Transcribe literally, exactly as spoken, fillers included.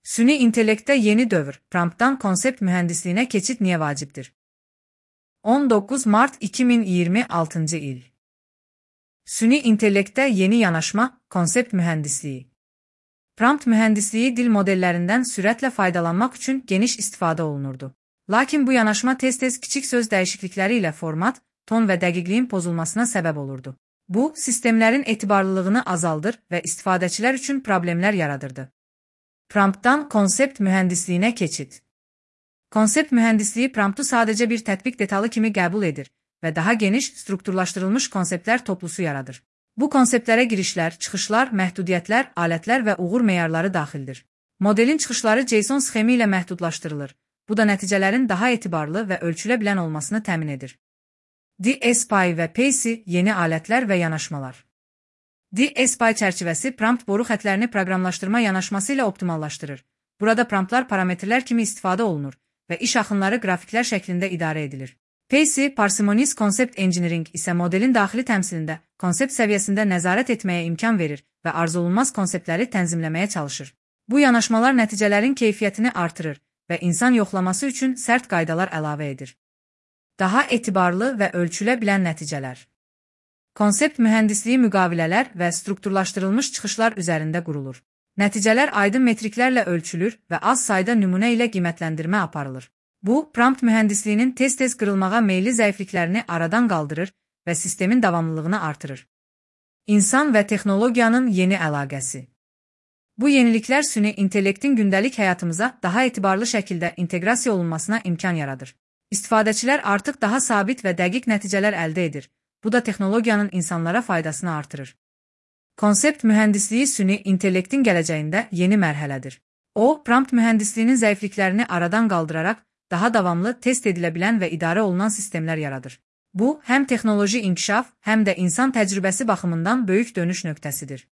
Süni intellektdə yeni dövr, promptdan konsept mühəndisliyinə keçid niyə vacibdir? on doqquz mart iki min iyirmi altıncı il. Süni intellektdə yeni yanaşma, konsept mühəndisliyi. Prompt mühəndisliyi dil modellərindən sürətlə faydalanmaq üçün geniş istifadə olunurdu. Lakin bu yanaşma tez-tez kiçik söz dəyişiklikləri ilə format, ton və dəqiqliyin pozulmasına səbəb olurdu. Bu, sistemlərin etibarlılığını azaldır və istifadəçilər üçün problemlər yaradırdı. Promptdan konsept mühəndisliyinə keçid. Konsept mühəndisliyi promptu sadəcə bir tətbiq detalı kimi qəbul edir və daha geniş, strukturlaşdırılmış konseptlər toplusu yaradır. Bu konseptlərə girişlər, çıxışlar, məhdudiyyətlər, alətlər və uğur meyarları daxildir. Modelin çıxışları JSON sxemi ilə məhdudlaşdırılır. Bu da nəticələrin daha etibarlı və ölçülə bilən olmasını təmin edir. DSPy və PACE yeni alətlər və yanaşmalar. DSPy çərçivəsi prompt boru xətlərini proqramlaşdırma yanaşması ilə optimallaşdırır. Burada promptlar parametrlər kimi istifadə olunur və iş axınları qrafiklər şəklində idarə edilir. PACE, Parsimonies Concept Engineering isə modelin daxili təmsilində, konsept səviyyəsində nəzarət etməyə imkan verir və arzulunmaz konseptləri tənzimləməyə çalışır. Bu yanaşmalar nəticələrin keyfiyyətini artırır və insan yoxlaması üçün sərt qaydalar əlavə edir. Daha etibarlı və ölçülə bilən nəticələr. Konsept mühəndisliyi müqavilələr və strukturlaşdırılmış çıxışlar üzərində qurulur. Nəticələr aydın metriklərlə ölçülür və az sayda nümunə ilə qiymətləndirmə aparılır. Bu, prompt mühəndisliyinin tez-tez qırılmağa meyilli zəifliklərini aradan qaldırır və sistemin davamlılığını artırır. İnsan və texnologiyanın yeni əlaqəsi. Bu yeniliklər süni intellektin gündəlik həyatımıza daha etibarlı şəkildə inteqrasiya olunmasına imkan yaradır. İstifadəçilər artıq daha sabit və dəqiq nəticələr əldə edir. Bu da texnologiyanın insanlara faydasını artırır. Konsept mühəndisliyi süni intellektin gələcəyində yeni mərhələdir. O, prompt mühəndisliyinin zəifliklərini aradan qaldıraraq daha davamlı, test edilə bilən və idarə olunan sistemlər yaradır. Bu, həm texnoloji inkişaf, həm də insan təcrübəsi baxımından böyük dönüş nöqtəsidir.